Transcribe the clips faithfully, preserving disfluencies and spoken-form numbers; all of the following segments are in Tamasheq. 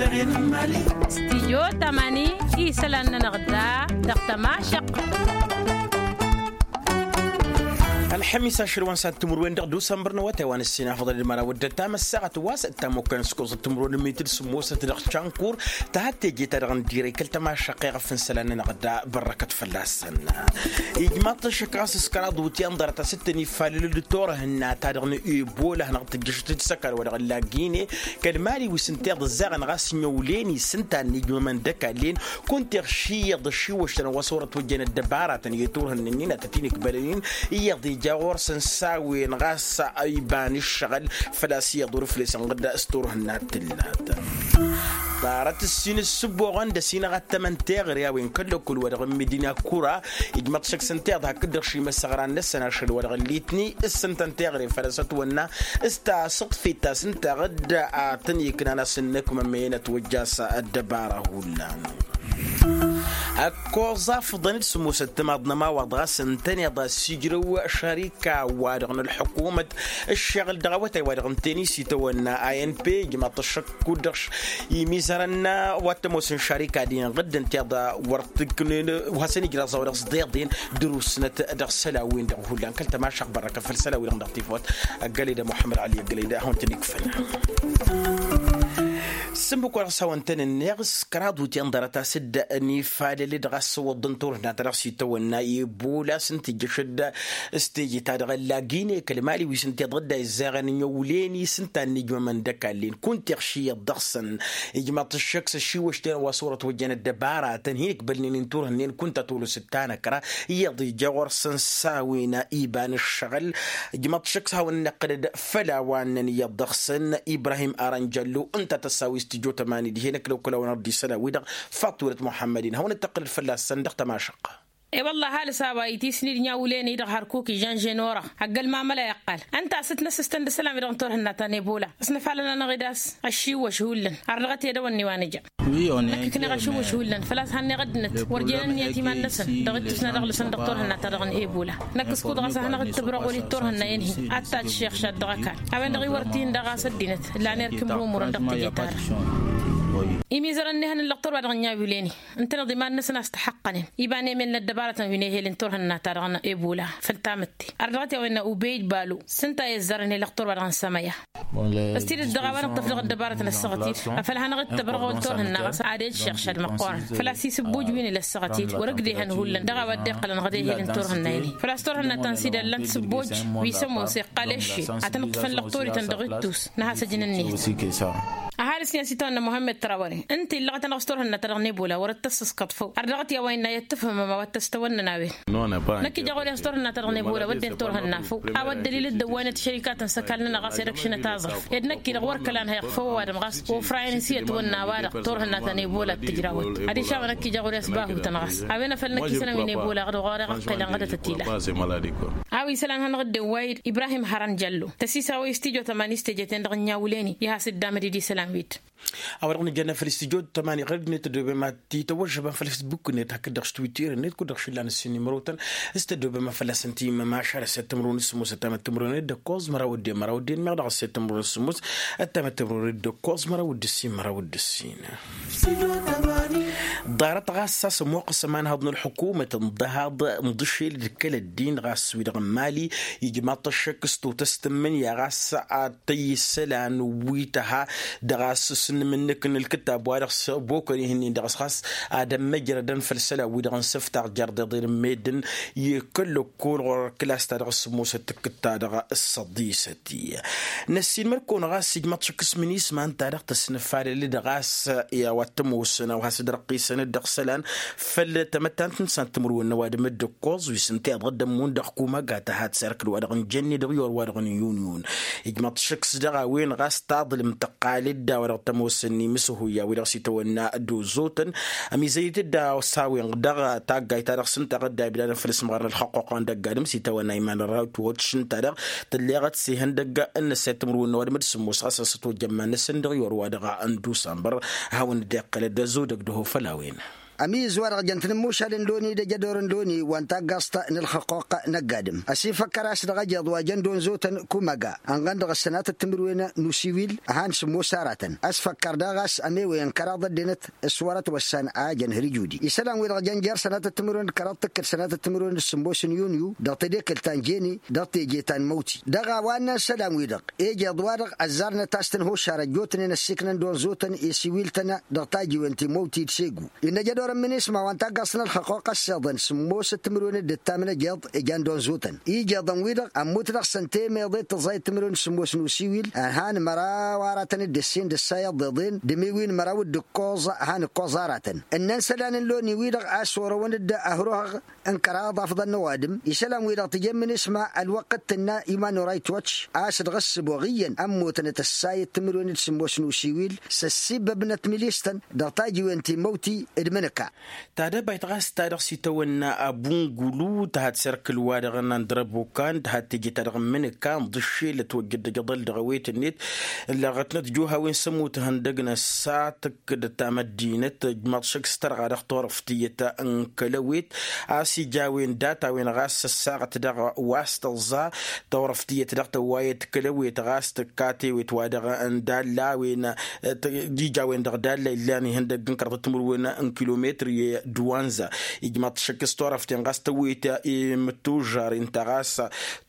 Stijyo tamani isălan-nănăɣ da dăɣ-tămašăɣt. Ălxămis ašăl wa n-sat timǝrwen dăɣ-dusămbăr n-awătay wa n-ǝssin afăḍăn d-măraw d-ăttam ăssaɣăt wa s-ăttam okăyăn s-koẓăt timǝrwen n-mitǝl sǝmmosăt dăɣ-cankor. Tăhăt teje-ta-dăɣ n-dirăy kăl-tămašăɣt iɣăf n-isălan-nănăɣ da bărrăkăt fălla-săn. Ijmaḍ-t ăššăk ɣas s-kăraḍ wǝtyan ḍarăt a-s t-tăn-ifalăl d-turhǝnna-ta-dăɣ n-ebola hanăɣ-tǝjjăšăt d-isăkal wa dăɣ-ăllagine kăl-mali wi s-ǝnta iḍ ǝzzaɣăn ɣas n-iwlen-i s-ǝnta a ǝnnijmămăn d-ăkall-en. Kunta iɣši iyyăḍ ăššiwăš-tăn wa s-wăr-ătwăjjăn ăddăbaratăn i-turhǝnna-nin ad-tăt-in-ikbălăn-in iyyăḍ ija ɣur-săn s-a-wen ɣas iba n-ǝššăɣǝl făl-a-s iyyăḍ wăr-ǝflesăn ɣǝdda s-turhǝnna tǝllat. Ḍarăt ǝssin ǝssǝbboɣăn d-ăsinăɣ ad-tămăn teɣăre a-wen kăl-lăkkul wa dăɣ-n medina kura. Ijmăḍ šăkk s-ǝnta iḍ hakd-dăɣ šimăsăɣran-năsăn ašăl wa dăɣ-ăllitni s-ǝntăn teɣăre făl-a-s ătwănna s-tasǝḍfit ta s-ǝnta ɣǝdda ad-tăn-iknan a-s ǝnnăkmămăyăn ătwăjja a-s ăddăbara hullan. Ăkkoẓ afǝḍăn d-sǝmmosăt timaḍ n-ămawaḍ ɣas ǝntăneḍ a-s ijrăw šarika wa-dăɣ n-ălḥukumăt ǝššeɣǝl dăɣ-awătay wa-dăɣ n-tenis itawănna a n p ijmaḍ-t ăššăk kud-dăɣ imizărăn wa t-ămoosăn šarika-din ɣǝdd ǝnta iḍa wăr t-ǝknen wa hasăn-ij raẓ a-wa dăɣ-s ḍeḍen. Dăr-usnăt dăɣ-isălan-win-dăɣ hullan kăl-tămašăɣt bărrăkăt făll-isălan-wi-dăɣ dăɣ-tifawt. Ăggăled a muḥămmăd ali ăggăled a hawăn-tăn-ikfăn. S-ǝmmǝk wa dăɣ-s hawăn-tăn-ǝnneɣ s-kăraḍ wǝtyan ḍarăt a-s dd-nifalăl-dd ɣas s-iwǝḍḍăn turhǝnna ta dăɣ-s itawănna i-ebola s-ǝnta ijjăš-dd s-teje-ta-dăɣ ăllagine kăl-mali wi s-ǝnta iḍa dd-a izzaɣăn n-iwlen-i s-ǝnta a ǝnnijmămăn d-ăkall-en kunta iɣši iyyăḍ dăɣ-săn. Ijmaḍ-t ăššăk s-ăššiwăš-ten a-wa s-wăr-ătwăjjăn ăddăbara tăn-hin-ikbălnen n-turhǝnnen kunta tolosăt ta n-ăkra iyyăḍ ija ɣur-săn s-a-wen iba n-ǝššăɣǝl. Ijmaḍ-t ăššăk s-hawăn-năqqǝlăd făll-a-wa ǝnnăn iyyăḍ dăɣ-săn ibrahim aranjallo ǝnta a tăssawi s-tijot ămani dihen ăkla okăl a-wa n-ărdisăn a-wi-dăɣ faṭulăt muḥămmăd-in hawăn-dd-tăqqǝlăd fălla-săn dăɣ-tămašăqqa. E-wălla ăhalǝs a-wa itisni d-inyawǝlen-i-dăɣ hărkuk ižănžen orăɣ ăgg-ălmamăla iqqal ǝnta a-s t-nǝsǝstăn d-isălan-wi-dăɣ n-turhǝnna ta n-ebola. S-nǝfalăn-anăɣ-dd a-s ăššiwwăš hullan ărrăɣăt i-ad-ăwănne wa nǝja. Năkk ǝkneɣ ăššiwwăš hullan făl-a-s hannăɣ ăddinăt wăr jen ǝnniyăt iman-năsăn dăɣ-ǝttus n-ad-ăɣlǝsăn dăɣ-turhǝnna-ta-dăɣ n-ebola. Năkk s-kud ɣas ad-hanăɣ-dd-tǝbrăɣ wăl-i d-turhǝnna-en-hi ad-taššeɣšad dăɣ-ăkall. A-wen-dăɣ iwărăt-in daɣ a-s ăddinăt ǝllan erk imrumurăn dăɣ-teje-ta-dăɣ. Imizărăn n-ehăn n-lăqtor wa dăɣ-ǝnniya wileni ǝntăneḍ iman-năsăn a-s tăxăqqănen iba n-emel n-ăddăbarătăn wi n-ehel n-turhǝnna-ta-dăɣ n-ebola. Făll-tamǝtte ardăɣăt i-a-wen n-ubey balu s-ǝnta a izzarăn i-lăqtor wa dăɣ-n sămăya. S-tidǝt dăɣ-a-wa n-ăṭṭăf dăɣ-ăddăbarătăn ăssaɣăt-dd afăl hanăɣ-dd-tăbrăɣ wăl-turhǝnna ɣas ad-ed šăɣšad măqqoorăn făl-a-s isǝbbuj wi n-ila ăssaɣăt-dd wăr-ăgg dehăn hullan dăɣ-a-wa dd-iqqălăn ɣăd ehel n-turhǝnna-in-hi făl-a-s turhǝnna ta n-sida ǝllan-t sǝbbuj wi s-ămoos iqqal ešše ad-tăn-ǝṭṭǝfăn lăqtor-ităn dăɣ-ittus n-ad-has-ăjǝn ǝnniyăt. Ăhalǝs-ni a-s itawănna muhămmed trawăre ǝnta illăɣăt-anăɣ s-turhǝnna-ta-dăɣ n-ebola wăr-dd tăssăskăḍ făw. Ardăɣăt i-a-wa innă i-ăttăfhămăma wa t-ăstăwănnăn a-wen. Năkk ija ɣur-i a-s turhǝnna-ta-dăɣ n-ebola wădden turhǝnna făw a-wa dd-ălilăt dăwwăynăt šărikatăn s-ăkall-nănăɣ ɣas ed ăkšănăt aẓrǝf ed năkk-i-dăɣ wăr kăla ănhăyăɣ făw ăwadǝm ɣas ofrayăn s-i ătwănna a-wa-dăɣ turhǝnna ta n-ebola d-tǝjrawăt. Adiš a-wa năkk ija ɣur-i a-s bahutăn ɣas a-wen a făl năkk isălan wi n-ebola ɣur-i ɣăqqelăn ɣădătăt ila. A-wa isălan hanăɣ-dd-ewway-dd ibrahim hărăn jallo tăsisaw-i s-tijot ămani s-teje-ten-dăɣ ǝnniya wǝlen-i i-has-dd-amăd-dd isălan-wi-dd. A-wa dăɣ-nǝjănna făll-s tijot ămani ɣăr-dd-net tăddobem ad-t-tawăžžăbăm făll-s buk-net hakd-dăɣ s-twitter-net kud-dăɣ šillan ǝssin imrotăn s-tăddobem a fălla-săn timămašal a-s i-ad-tǝmrǝwăn s-sǝmmosăt tamăttǝmrǝwăn d-ǝkkoẓ măraw d-en măraw d-en meɣ dăɣ-s i-ad-tǝmrǝwăn s-sǝmmos ăttam ad-tǝmrǝwăn d-ǝkkoẓ măraw d-ǝssin măraw d-ǝssin. Ḍarăt ɣas a-s ămoqqăs ămanhăḍ n-ălḥukumăt n-ḍahaḍ n-iḍǝšel d-kăl-ăddin ɣas wi-dăɣ n-mali ijmaḍ-t ăššăk s-totăst n-imǝnya ɣas ad-tăyy isălan wi tăha dăɣ-a-s s-inǝmǝnnǝk n-ǝlkǝttab wa dăɣ-s bokăn ihǝnnin dăɣ-s ɣas ad-ămmăjrădăn făll-isălan wi-dăɣ n-isăftaɣ jer-deḍen n-meddǝn i-kăl-ăkk kăl-ɣur-ăkkǝlas-ta-dăɣ s-sǝmmosăt tǝkkǝt-ta-dăɣ s-săḍisăt. Năssiinmăr-kăwăn ɣas ijmăḍ šăkk s-minisma ǝnta-dăɣ tăsnăfalăl-dd ɣas i-a-wa t-ămoosăn a-wa has-dd-răqqisăn-dd dăɣ-isălan făll-tamăttant n-san timǝrwen n-ăwadǝm d-ǝkkoẓ wi s-ǝnta iḍădd ămmun dăɣ-kumăga tăhat s-erk d-wa-dăɣ n-jănne dăɣ-iwăr wa-dăɣ n-inyunyun. Ijmăḍ šăkk s-dăɣ a-wen ɣas taḍlǝm tăqqal-dd a-wa dăɣ-tămoosăn imǝsǝhuy a-wi dăɣ-s itawănna d-ozotăn ămizăy-dd a-s a-wen dăɣ-taggayt-ta-dăɣ s-ǝnta ɣǝdda ibdadăn făll-ismăɣrăn ălxăqquqăn dăgg-adǝm s-itawănna iman n-rawt wătš ǝnta-dăɣ tǝlleɣăt s-ihăndăgg n-năsset timǝrwen n-ăwadǝm d-sǝmmos ɣas a-s ătwăjja iman-năsăn dăɣ-iwăr wa dăɣ-n dusambăr. Hawăn-dd-iqqălăd ăzzodăg dăɣ-hu făll-a-wen. Ămiz wa-dăɣ jăn tinǝmmušal n-loni d-ejădor n-loni wa n-taggaẓt n-ǝlxǝqquq n-ăgg-adǝm ăsifăkkăr a-s dăɣ-ejăḍ wa jăn d-onzotăn kumaga ănɣăn dăɣ-ăssanatăt timǝrwen n-usiwil. Han sǝmmos aratăn ăsfăkkăr daɣ a-s ămewăyăn kăraḍ ăddinăt s-wărăt wăssan a jăn hărjudi isălan-wi-dăɣ jăn jer-sănatăt timǝrwen d-kăraḍ tǝkkǝl sănatăt timǝrwen d-sǝmmos n-yunyu dăɣ-tedekǝlt ta n-jeni dăɣ-teje ta n-măwti dăɣ-a-wa ǝnnăn isălan-wi-dăɣ. Ejeḍ-wa-dăɣ ăzzarnăt a-s tăn-hoššarăt jotnen ăssiiknăn d-onzotăn i-siwil-tăn dăɣ-tajiwen ti n-măwti d-segu innă jădorăn minisma wa n-taggaẓt n-ălxăqquq ăssiḍăn sǝmmosăt timǝrwen d-ǝttam n-ejeḍ. Ijan d-onzotăn ijeḍăn-wi-dăɣ ămmut dăɣ-săn temeḍe d-tăẓẓayăt timǝrwen d-sǝmmos n-usiwil ănhan măraw aratăn d-ǝssin d-ǝssa iḍeḍen d-emiwin măraw d-ǝkkoẓ. Han ǝkkoẓ aratăn ǝnnăn isălan n-loni-wi-dăɣ a-s orăwăn-dd ăhruhăɣ n-kăraḍ afḍăn n-ăwadǝm isălan-wi-dăɣ tǝjemmǝn isma ălwăqq d-tǝnna iman n-orayt watch a-s dăɣ-ăssǝboɣ iyyăn ămmootănăt ăssayăt timǝrwen d-sǝmmos n-usiwil s-ăssibbăbnăt milis-tăn dăɣ-tajiwen ti n-măwti d-imǝnǝka. Tadăbayt ɣas ta dăɣ-s itawănna abungulu tăhăt serkǝl-wa-dăɣ n-andrăbukan tăhăt teje-ta-dăɣ n-imǝnǝka ǝnḍǝššel ătwăjjăd d-ajăḍăl dăɣ-ewet-net ǝllăɣătnăt juhawen s-ămmut ihăndăg n-ăssatăk d-tamăddinăt ǝjmaḍ šăkk s-tărɣa dăɣ-turăft tiyyăt n-kăl-ewet a-s ija a-wen data-wen ɣas ăssaɣăt dăɣ-wa s-tăẓẓa turăft tiyyăt dăɣ-tăwwayăt kăl-ewet ɣas tǝkka tewet wa dăɣ-n dalla a-wen ija a-wen dăɣ-dalla illan ihăndăgg n-kărăḍ timǝrwen n-kilometri d-wanza. Ijmaḍ šăkk s-turăft-en ɣas tăwwet i-mǝttužžar inta ɣas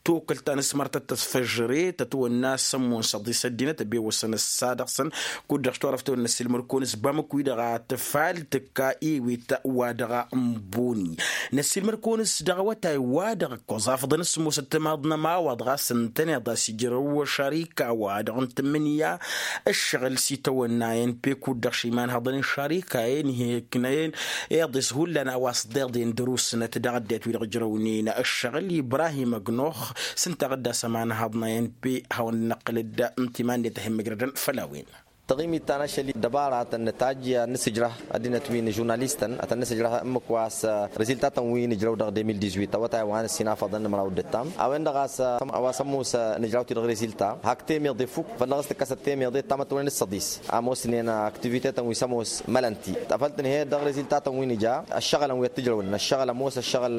tokălt ta n-asmărtăt tăsfăžre tătwănna s-ămmun s-ăḍis ăddinăt ăbewăsăn ăssa dăɣ-săn. Kud-dăɣ s-turăft-wen năssiilmăr-kăwăn s-bamăkwi-dăɣ a tǝfal tǝkka ewet wa dăɣ-n boni. Năssiilmăr-kăwăn s-dăɣ awătay-wa-dăɣ ǝkkoẓ afḍăn s-sǝmmosăt timaḍ n-ămawaḍ ɣas ǝntăneḍ a-s ijrăw šarika-wa-dăɣ n-tǝmmǝnǝya ǝššăɣǝl s-itawănna i-n pe kud-dăɣ šimanhăḍăn n-šarika-en ih'-eknăyăn iḍes hullan a-wa s-ḍeḍen dăr-usnăt dăɣ-ăddinăt wi-dăɣ ǝjrăwnen ǝššăɣǝl ibrahim ăgnox. S-ǝnta a ɣǝdda s-ămanhăḍnăyăn pe hawăn-năqqǝlăd n-timannet a hin-mǝjrădăn făll-a-wen. Tăɣimit ta n-ašăl i-ăddăbaratăn nǝtajj ad-nǝsǝjrăh ăddinăt wi n-žurnalistăn ad-tăn-nǝsǝjrăh ǝmmǝk wa s-reziltatăn wi nǝjrăw dăɣ-de mil dix-huit awătay wa n-ăssinafăḍăn n-imăraw d-ǝttam a-wen-dăɣ a-s a-wa s-ămoos nǝjraw-t-i dăɣ-rezilta hak temeḍe fuk făl dăɣ-s tǝkkăsăt temeḍe d-tamătwănen s-săḍis. Ămoosnen activite-tăn wi s-ămoos mălăn-t afăl tǝnhăyăt dăɣ-reziltatăn wi nǝja ăššăɣǝlăn wi ăttǝjrăwăn ăššăɣǝl ămoos ăššăɣǝl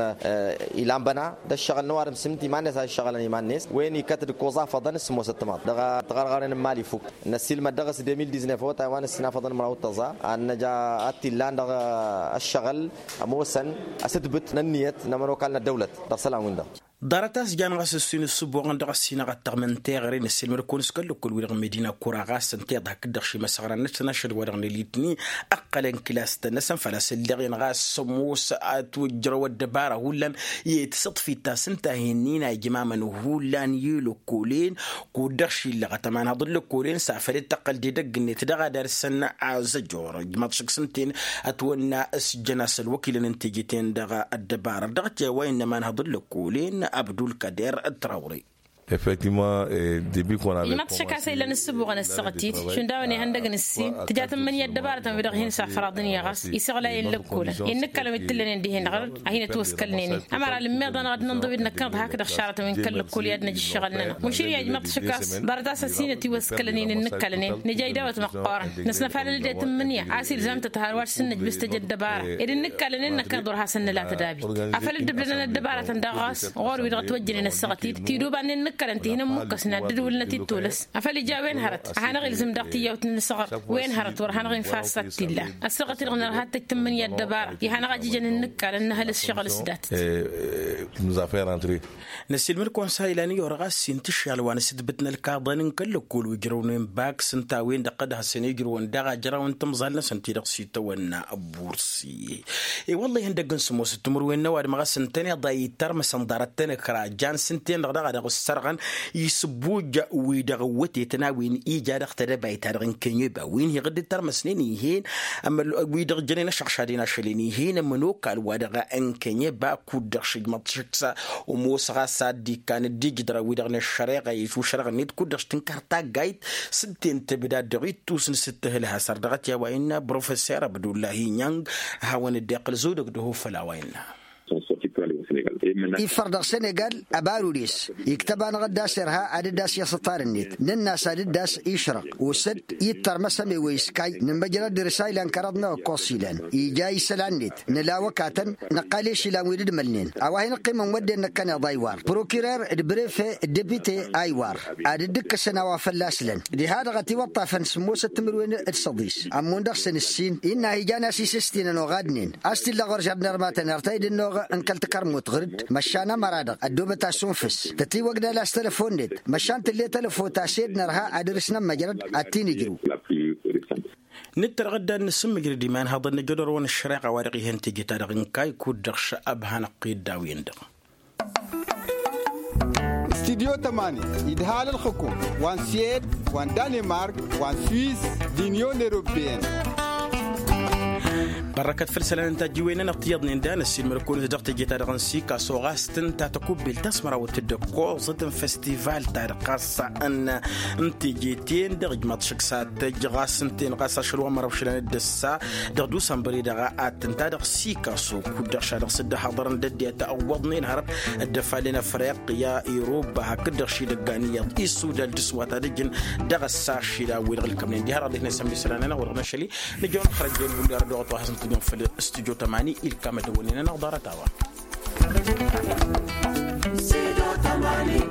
ilan băna d-ăššăɣǝl n-ăwadǝm s-ǝnta iman-net a ǝššăɣǝlăn iman-net. Wen ikăt d-ǝkkoẓ afăḍăn s-ămoosăt timaḍ dăɣ-tiɣărɣaren n-imali fuk. Năssiilmăd dăɣ-s de mil dix-neuf awătay wa n-ăssinafăḍăn măraw d-tăẓa ad-năj a t-illan dăɣ-ăššăɣǝl ămoosăn asǝtbǝt n-ănniyăt n-ămănokal n-ăddăwlăt. Dăɣ-isălan-win-dăɣ. Ḍarăt a-s jan ɣas ǝssin ǝssǝboɣăn dăɣ-ăssinăɣ ad-tăɣmǝn teɣăre năssiilmăd-kăwăn s-kăl-lăkkol-wi-dăɣ n-medina kura ɣas ǝnta iḍa hakd-dăɣ šimăsăɣran-năsăn ašăl-wa-dăɣ n-elitni ǝqqălăn kilas-tăn-năsăn făl-a-s ǝlleɣ-en ɣas s-ămoos ad-t-wăjjărăw ăddăbara hullan i-tisǝḍfit ta s-ǝnta a hin-ina ijmamăn hullan i-lăkkolen. Kud-dăɣ šillăɣăt ămanhăḍ n-lăkkolen s-afăl dd-tăqqăl d-edăgg-net dăɣ-ad-arsăn azăjor ijmaḍ šăkk s-ǝnta-en ătwănna s-jăn-as ălwăkilăn n-teje-ten-dăɣ ăddăbara dăɣ-t i-a-wa innă ămanhăḍ n-lăkkolen abdulkader trawre. Effectivement. Ijmaḍ šăkk a-s a illăn ǝssǝbuɣăn ăssaɣăt-dd šund a-wen ihăndăgg n-ǝssin tǝja tǝmmǝnǝya ăddăbarătăn wi-dăɣ hin-safăraḍăn i-ɣas isăɣlayăn lăkkolăn i-ǝnnǝkkalăn wi t-tǝllănen dihen-dăɣ a hin-ătwăskălnen-in ămăra lǝmmeḍ-anăɣ ad-nǝnḍǝw-dd năkkăneḍ hakd ăššarătăn wi n-kăl-lăkkol i-ad-năj ǝššăɣǝl-nănăɣ măšin i-a ijmaḍ šăkk a-s ḍarăt a-s ăsinăt iwăskălăn-in ǝnnǝkkalăn-en nǝja idawăt măqqoorăn năsnăfalăl-dd i-tǝmmǝnǝya a-s ilzam-tăt har wa s-ǝnnǝj bǝstăj ăddăbara ed ǝnnǝkkalăn-en năkkăneḍ wăr hasăn-nǝla tădabit. Afăl dd-ǝblănăn ăddăbarătăn daɣ ɣas ɣur-wi-dăɣ ătwăjjănen ăssaɣăt-dd tidubannăn n-ǝkkalăn ti hin-ămmukkăsnen ad-dd-ǝwǝlnăt-dd tolăs. Afăl ija a-wen hărăt ad-hanăɣ-ilzǝm daɣ tiyyawt-nǝsăɣ wen hărăt wăr hanăɣ-infa a-s ad-t-illa ăssaɣăt-dd ɣǝnărha tăj-tǝmmǝnǝya ăddăbara i-hanăɣ-ajǝjăn ǝnnǝkkalăn n-ehăl ǝššăɣǝl s-dat. Năssiilmăd-kăwăn s-a ilan i-orăɣ a-s s-intǝššal wa n-asǝtbǝt n-ălkaḍăn n-kăl-lăkkol wi ǝjrăwnen bak s-ǝnta a-wen-dăɣ tăd-hasăn-ijrǝwăn daɣ ajraw n-timẓal-năsăn ti-dăɣ s-itawănna bursi. I-wălla ihăndăgg n-sǝmmosăt timǝrwen n-ăwadǝm ɣas ǝntăneḍ a itărmăsăn ḍarăt-tăn-ǝkra jan s-ǝnta-en-dăɣ daɣ a dăɣ-ǝssărɣăn isǝbbuj-wi-dăɣ ǝwwătetăn a-wen ija dăɣ-tedăbayt-ta-dăɣ n-kănyeba wi n-hi-iɣǝdd d-tărmăsnen ih'-en wi-dăɣ jănen ăšăɣšadăn ašăl-en ih'-en ămănokal wa dăɣ-n kănyeba kud-dăɣ šǝjmăḍ šǝksa. Ămoos ɣas a dd-ikkan dd-ijǝdra-wi-dăɣ n-ăššăreɣa i-išušărăɣ-net kud-dăɣ s-tǝnkăr taggayt s-ǝnta-en tǝbdad dăɣ-ittus n-sǝttǝhǝl hasăr dăɣ-t i-a-wa innă brofesser abdullahi inyang. Hawăn-dd-iqqǝl zodăg d-ehofăl a-wa innă. Iffăr dăɣ-senegal. Ăbarudes iktăb-anăɣ dd-as-irha ad-dd-as-iṣǝṭṭar-net nǝnn'-as ad-dd-as-išrăɣ, osăd ittărmăs ămewăy s-kay nǝmmăjrăd dăr-s a ilan kăraḍ n-awăkkoẓ s-ilan ija isălan-net. Nǝla awăkatăn năqqal i-ašălan wi dd-mălnen a-wa hin-ǝqqimăn wădden năkkăneḍ a iwar prokirer d-brefe d-depite a iwar, ad-dd-ǝkkǝsăn a-wa fălla-s lăn diha-dăɣ ătiwăṭṭafăn sǝmmosăt timǝrwen d-săḍis. Ămmun dăɣ-săn ǝssin innă a hi-jan a-s isǝstinăn oɣadnen a-s t-illa ɣur-žăr d-inărmatăn ar ta dd-ănnuɣ n-kăl-tăkăr n-mutɣǝr-dd măšan ămăra-dăɣ ăddoobăt asunfǝs tătiwăgdal a-s tălăfon-net măšan tǝlle tălăfo ta s-ed nărha ad-dăr-s n-ămmăjrăd ad-t-in-ǝjrǝw. Nǝttărɣǝd ad-nǝsǝmmǝjrăd iman haḍăn n-ajădor wa n-ăššăreɣa wa dăɣ-ihăn teje-ta-dăɣ n-kaykud dăɣ-šăb ăbhan ăqqed d-a-wen-dăɣ. Studyo tămani idhal ălxǝkum wa n-swed wa n-danemark wa n-swiss d-inyon eropeyăn. Bărrăkăt făll-isălan n-tajjiwen-nănăɣ ti iyyăḍnen da năssiilmăd-kăwăn-dd dăɣ-teje-ta-dăɣ n-sikaso ɣas tǝnta tăkubbelt ta s-mărawăt d-ăkkoẓăt n-festival-ta-dăɣ ɣas n-teje-ten-dăɣ ijmaḍ šăkk s-ad-tăjj ɣas ǝnta-en ɣas ašăl wa n-măraw šălan d-ăssa dăɣ-dusănbăr-i-dăɣ. Ad-tǝnta dăɣ-sikaso kud-dăɣ šadăɣ s-dd-ăhaḍărăn d-ăddinăt ăwwăḍnen hărăt d-ăfallen ăfriqya iruba hakd-dăɣ šidăggan iyyăḍ isudal dăɣ-s wa ta dăjjăn dăɣ-ăssa šila wi-dăɣ ǝlkămnen diha-dăɣ ad-dd-hin-ăsămmi isălan-nănăɣ wa dăɣ-năšăl-i. Nǝjăwăn xărăjjăwăn hulli ara dăɣ-wa t-wa hasăn-tǝjjăn făll-studyo tămani ilkam ad-dăwănnen-anăɣ ḍarăt-a-wa. Studyo tămani.